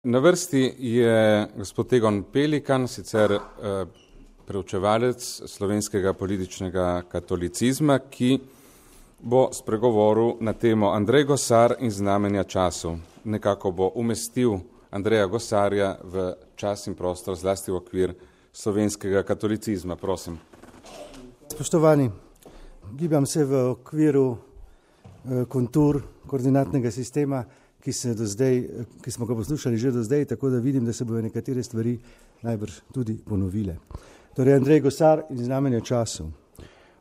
Na vrsti je gospod Egon Pelikan, sicer preučevalec slovenskega političnega katolicizma, ki bo spregovoril na temo Andrej Gosar in znamenja času. Nekako bo umestil Andreja Gosarja v čas in prostor, zlasti v okvir slovenskega katolicizma. Prosim. Spoštovani, gibam se v okviru kontur koordinatnega sistema, ki smo ga poslušali že do zdaj, tako da vidim, da se bodo nekatere stvari najbrž tudi ponovile. Torej, Andrej Gosar in znamenja času.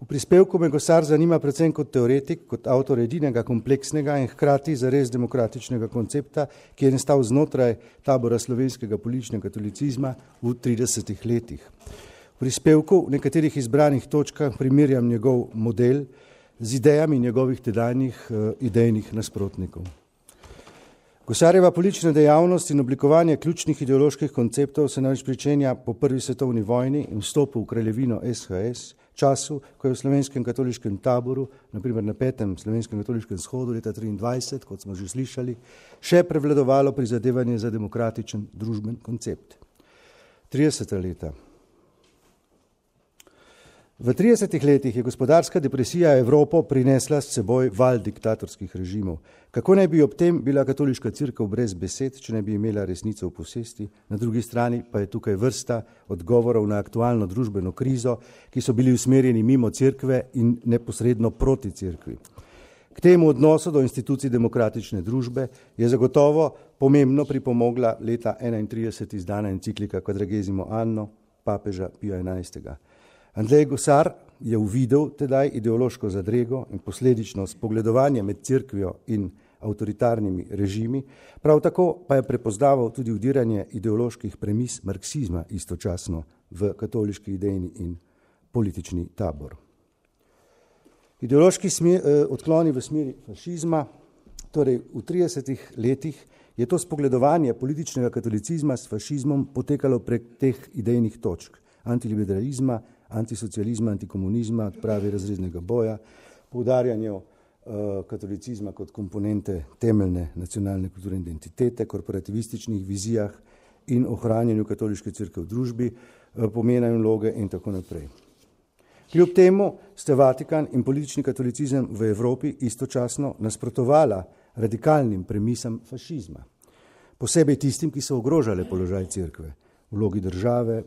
V prispevku me Gosar zanima predvsem kot teoretik, kot avtor edinega kompleksnega in hkrati zares demokratičnega koncepta, ki je nastal znotraj tabora slovenskega političnega katolicizma v 30 letih. V prispevku v nekaterih izbranih točkah primerjam njegov model z idejami njegovih tedajnih idejnih nasprotnikov. Gosarjeva politična dejavnost in oblikovanje ključnih ideoloških konceptov se namreč pričenja po prvi svetovni vojni in vstopu v kraljevino SHS, času, ko je v slovenskem katoliškem taboru, naprimer na 5. slovenskem katoliškem shodu leta 1923, kot smo že slišali, še prevladovalo prizadevanje za demokratičen družben koncept. 30. leta. V 30 letih je gospodarska depresija Evropo prinesla s seboj val diktatorskih režimov. Kako naj bi ob tem bila katoliška cerkev brez besed, če ne bi imela resnico v posesti? Na drugi strani pa je tukaj vrsta odgovorov na aktualno družbeno krizo, ki so bili usmerjeni mimo cerkve in neposredno proti cerkvi. K temu odnosu do institucij demokratične družbe je zagotovo pomembno pripomogla leta 1931 izdana enciklika Quadragesimo anno papeža Pija XI. Andrej Gosar je uvidel tedaj ideološko zadrego in posledično spogledovanje med cerkvijo in avtoritarnimi režimi, prav tako pa je prepoznaval tudi vdiranje ideoloških premis marksizma istočasno v katoliški idejni in politični tabor. Ideološki odkloni v smeri fašizma, torej v 30 letih je to spogledovanje političnega katolicizma s fašizmom potekalo prek teh idejnih točk, antiliberalizma, antisocializma, antikomunizma, odprave razrednega boja, poudarjanju katolicizma kot komponente temeljne nacionalne kulturne identitete, korporativističnih vizijah in ohranjanju katoliške cerkve v družbi, pomena in vloge in tako naprej. Kljub temu sta Vatikan in politični katolicizem v Evropi istočasno nasprotovala radikalnim premisam fašizma, posebej tistim, ki so ogrožale položaj cerkve, vlogi države,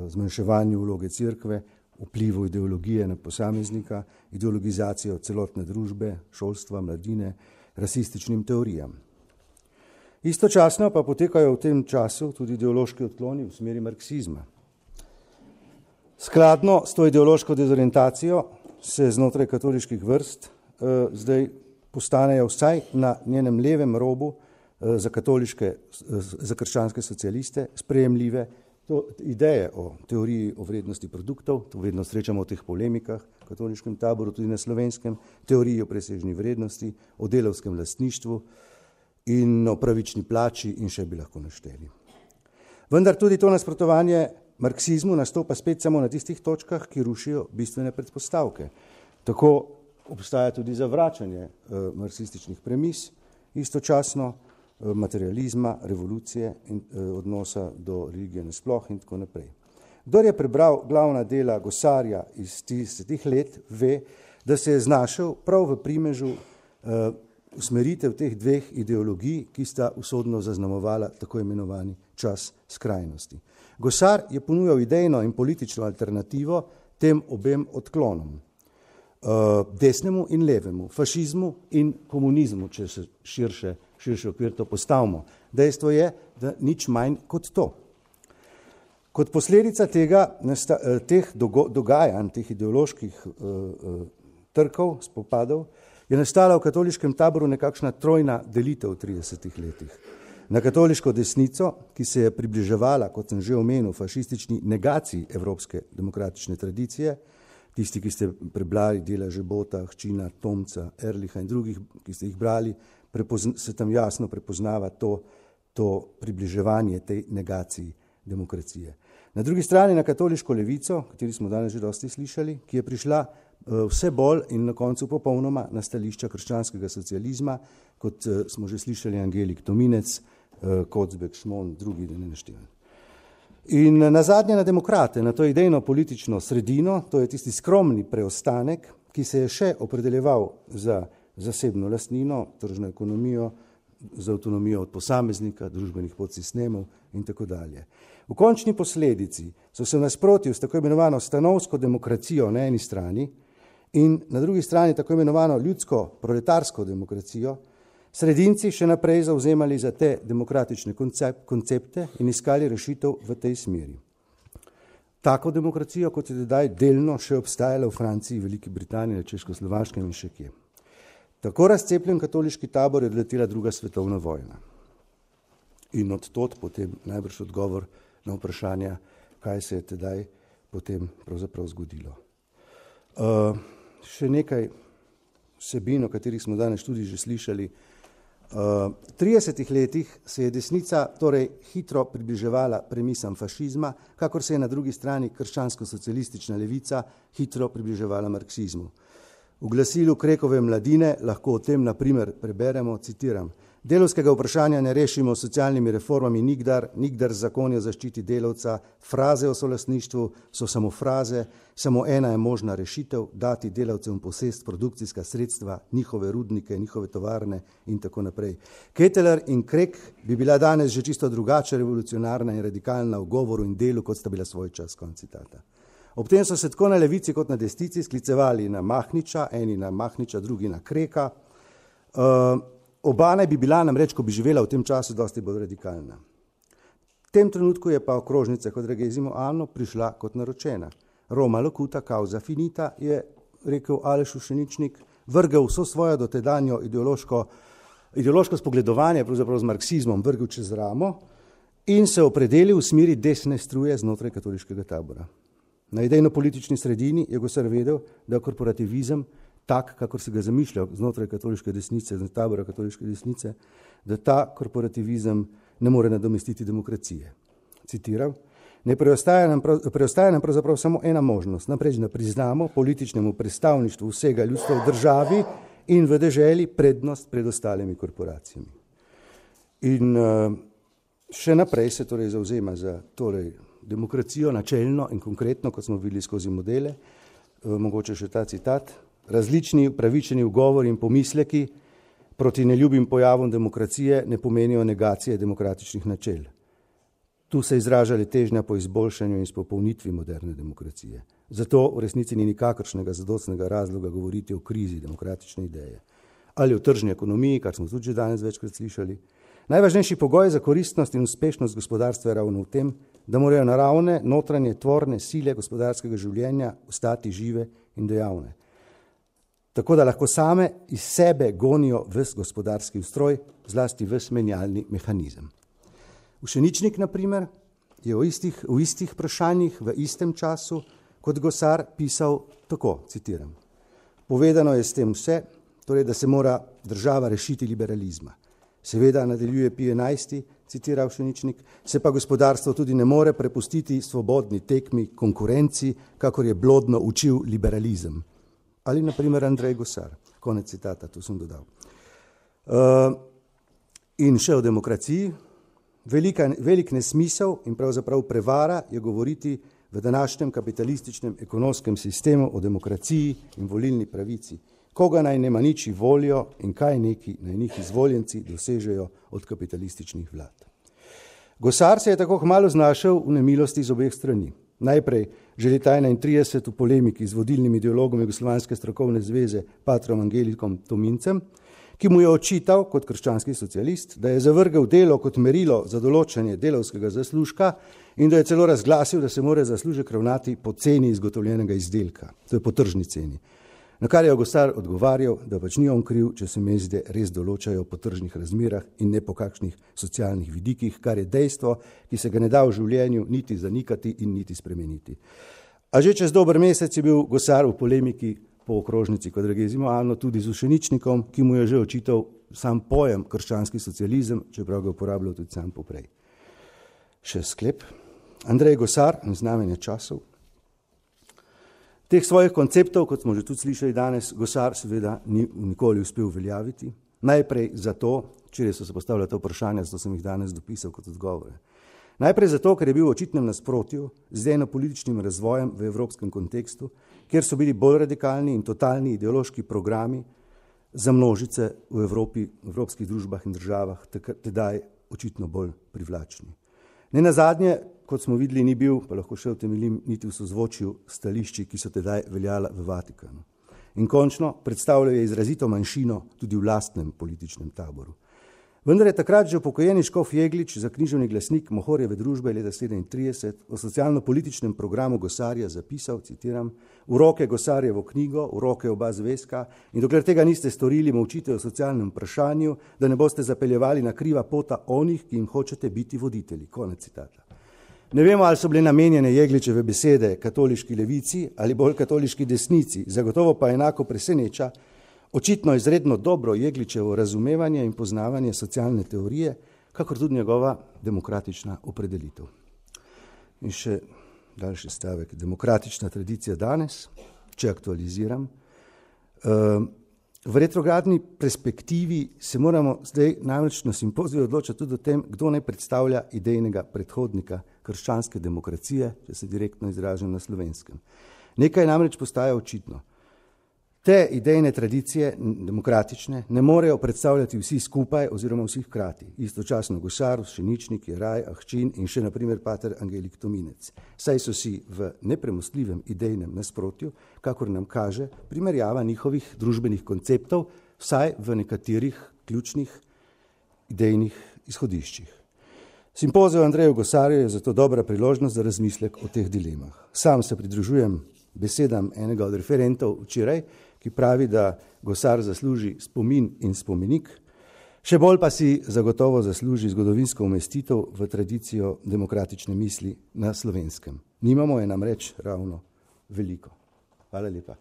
zmanjševanju vloge cerkve, vplivu ideologije na posameznika, ideologizacijo celotne družbe, šolstva, mladine, rasističnim teorijam. Istočasno pa potekajo v tem času tudi ideološki odkloni v smeri marksizma. Skladno s to ideološko dezorientacijo se znotraj katoliških vrst zdaj postanejo vsaj na njenem levem robu za krščanske socialiste sprejemljive ideje o teoriji o vrednosti produktov, to vedno srečamo v teh polemikah v katoliškem taboru, tudi na slovenskem, teoriji o presežni vrednosti, o delavskem lastništvu in o pravični plači in še bi lahko našteli. Vendar tudi to nasprotovanje marksizmu nastopa spet samo na tistih točkah, ki rušijo bistvene predpostavke. Tako obstaja tudi zavračanje marksističnih premis, istočasno materializma, revolucije in odnosa do religije nasploh in tako naprej. Kdor je prebral glavna dela Gosarja iz tih let, ve, da se je znašel prav v primežu usmeritev teh dveh ideologij, ki sta usodno zaznamovala tako imenovani čas skrajnosti. Gosar je ponujal idejno in politično alternativo tem obem odklonom. Desnemu in levemu, fašizmu in komunizmu, če se širši okvir to postavimo. Dejstvo je, da nič manj kot to. Kot posledica teh dogajanj, teh ideoloških trkov, spopadov, je nastala v katoliškem taboru nekakšna trojna delitev v 30 letih. Na katoliško desnico, ki se je približevala, kot sem že omenil, fašistični negaciji evropske demokratične tradicije, tisti, ki ste prebrali dela Žebota, Hčina, Tomca, Erliha in drugih, ki ste jih brali, se tam jasno prepoznava to približevanje tej negaciji demokracije. Na drugi strani na katoliško levico, kateri smo danes že dosti slišali, ki je prišla vse bolj in na koncu popolnoma na stališča krščanskega socializma, kot smo že slišali Angelik Tominec, Kocbek, Šmon, drugi, da ne naštevam. In nazadnje na demokrate, na to idejno politično sredino, to je tisti skromni preostanek, ki se je še opredeljeval za zasebno lastnino, tržno ekonomijo, za avtonomijo od posameznika, družbenih podsistemov in tako dalje. V končni posledici so se v nasprotju s tako imenovano stanovsko demokracijo na eni strani in na drugi strani tako imenovano ljudsko-proletarsko demokracijo sredinci še naprej zavzemali za te demokratične koncepte in iskali rešitev v tej smeri. Tako demokracijo, kot je tedaj delno še obstajala v Franciji, Veliki Britaniji, na Češkoslovaškem in še kje. Tako razcepljen katoliški tabor je odletela druga svetovna vojna. In od tod potem najbrž odgovor na vprašanja, kaj se je tedaj potem pravzaprav zgodilo. Še nekaj vsebin, o katerih smo danes tudi že slišali. V 30 letih se je desnica torej hitro približevala premisam fašizma, kakor se je na drugi strani krščansko-socialistična levica hitro približevala marksizmu. V glasilu Krekove Mladine lahko o tem na primer preberemo, citiram: Delavskega vprašanja ne rešimo s socialnimi reformami nikdar zakon o zaščiti delavca, fraze o solastništvu so samo fraze, samo ena je možna rešitev, dati delavcem posest produkcijska sredstva, njihove rudnike, njihove tovarne in tako naprej. Ketteler in Krek bi bila danes že čisto drugače revolucionarna in radikalna v govoru in delu, kot sta bila svoj čas, konec citata. Ob tem so se tako na levici kot na desnici sklicevali na Mahniča, eni na Mahniča, drugi na Kreka. Oba naj bi bila namreč, ko bi živela v tem času, dosti bolj radikalna. V tem trenutku je pa okrožnica Quadragesimo anno prišla kot naročena. Roma locuta causa finita, je rekel Aleš Ušeničnik, vrgel vso svojo dotedanjo ideološko spogledovanje, pravzaprav z marksizmom, vrgel čez ramo in se opredelil v smeri desne struje znotraj katoliškega tabora. Na idejno-politični sredini je Gosar vedel, da korporativizem, tak, kakor se ga zamišlja znotraj katoliške desnice, znotraj tabora katoliške desnice, da ta korporativizem ne more nadomestiti demokracije. Citiram: Ne preostaja nam pravzaprav samo ena možnost, namreč da priznamo političnemu predstavništvu vsega ljudstva v državi in v deželi prednost pred ostalimi korporacijami. In še naprej se torej zavzema za demokracijo načelno in konkretno, kot smo videli skozi modele, mogoče še ta citat: Različni upravičeni ugovori in pomisleki proti neljubim pojavom demokracije ne pomenijo negacije demokratičnih načel. Tu se izražali težnja po izboljšanju in izpopolnitvi moderne demokracije. Zato v resnici ni nikakršnega zadostnega razloga govoriti o krizi demokratične ideje. Ali o tržni ekonomiji, kar smo tudi že danes večkrat slišali. Najvažnejši pogoj za koristnost in uspešnost gospodarstva je ravno v tem, da morajo naravne, notranje, tvorne sile gospodarskega življenja ostati žive in dejavne. Tako da lahko same iz sebe gonijo ves gospodarski ustroj, zlasti ves menjalni mehanizem. Ušeničnik, na primer, je v istih vprašanjih v istem času kot Gosar pisal tako, citiram: Povedano je s tem vse, torej da se mora država rešiti liberalizma. Seveda, nadaljuje Pije XI, citira Ušeničnik, se pa gospodarstvo tudi ne more prepustiti svobodni tekmi, konkurenci, kakor je blodno učil liberalizem. Ali na primer Andrej Gosar. Konec citata, to sem dodal. In še o demokraciji. Velik nesmisel in pravzaprav prevara je govoriti v današnjem kapitalističnem ekonomskem sistemu o demokraciji in volilni pravici. Koga naj ne maniči volijo in kaj neki naj njih izvoljenci dosežejo od kapitalističnih vlad. Gosar se je tako kmalu znašel v nemilosti z obeh strani. Najprej že leta 1931 v polemiki z vodilnim ideologom Jugoslovanske strokovne zveze Patrom Angelikom Tomincem, ki mu je očital kot krščanski socialist, da je zavrgel delo kot merilo za določanje delavskega zaslužka in da je celo razglasil, da se mora zaslužek ravnati po ceni izgotovljenega izdelka, to je po tržni ceni. Na kar je Gosar odgovarjal, da pač ni on kriv, če se mezde res določajo po tržnih razmerah in ne po kakšnih socialnih vidikih, kar je dejstvo, ki se ga ne da v življenju niti zanikati in niti spremeniti. A že čez dober mesec je bil Gosar v polemiki po okrožnici Quadragesimo anno tudi z Ušeničnikom, ki mu je že očital sam pojem krščanski socializem, čeprav ga uporabljal tudi sam poprej. Še sklep. Andrej Gosar, znamenje časov. Teh svojih konceptov, kot smo že tudi slišali danes, Gosar seveda ni nikoli uspel uveljaviti. Najprej zato, če so se postavljala ta vprašanja, zato sem jih danes dopisal kot odgovore. Najprej zato, ker je bil v očitnem nasprotju z eno-političnim razvojem v evropskem kontekstu, kjer so bili bolj radikalni in totalni ideološki programi za množice v Evropi, v evropskih družbah in državah, tedaj očitno bolj privlačni. Ne nazadnje, kot smo videli, ni bil, pa lahko še utemeljim, niti v sozvočju stališči, ki so tedaj veljala v Vatikanu. In končno predstavljajo izrazito manjšino tudi v lastnem političnem taboru. Vendar je takrat že upokojeni škof Jeglič za književni glasnik Mohorjeve družbe leta 1937 o socialno-političnem programu Gosarja zapisal, citiram, v roke Gosarjevo knjigo, v roke oba zvezka in dokler tega niste storili, molčite o socialnem vprašanju, da ne boste zapeljevali na kriva pota onih, ki jim hočete biti voditelji. Konec citata. Ne vemo, ali so bile namenjene Jegličeve besede katoliški levici ali bolj katoliški desnici, zagotovo pa enako preseneča očitno izredno dobro Jegličevo razumevanje in poznavanje socialne teorije, kakor tudi njegova demokratična opredelitev. In še daljši stavek. Demokratična tradicija danes, če aktualiziram, v retrogradni perspektivi se moramo zdaj namreč na simpoziju odločiti tudi o tem, kdo naj predstavlja idejnega predhodnika krščanske demokracije, če se direktno izražam na slovenskem. Nekaj namreč postaja očitno. Te idejne tradicije, demokratične, ne morejo predstavljati vsi skupaj oziroma vsi hkrati. Istočasno Gosar, Šeničnik, Jeraj, Ahčin in še naprimer pater Angelik Tominec. Saj so si v nepremostljivem idejnem nasprotju, kakor nam kaže primerjava njihovih družbenih konceptov, vsaj v nekaterih ključnih idejnih izhodiščih. Simpozij o Andreju Gosarju je zato dobra priložnost za razmislek o teh dilemah. Sam se pridružujem besedam enega od referentov včeraj, ki pravi, da Gosar zasluži spomin in spomenik, še bolj pa si zagotovo zasluži zgodovinsko umestitev v tradicijo demokratične misli na slovenskem. Nimamo je namreč ravno veliko. Hvala lepa.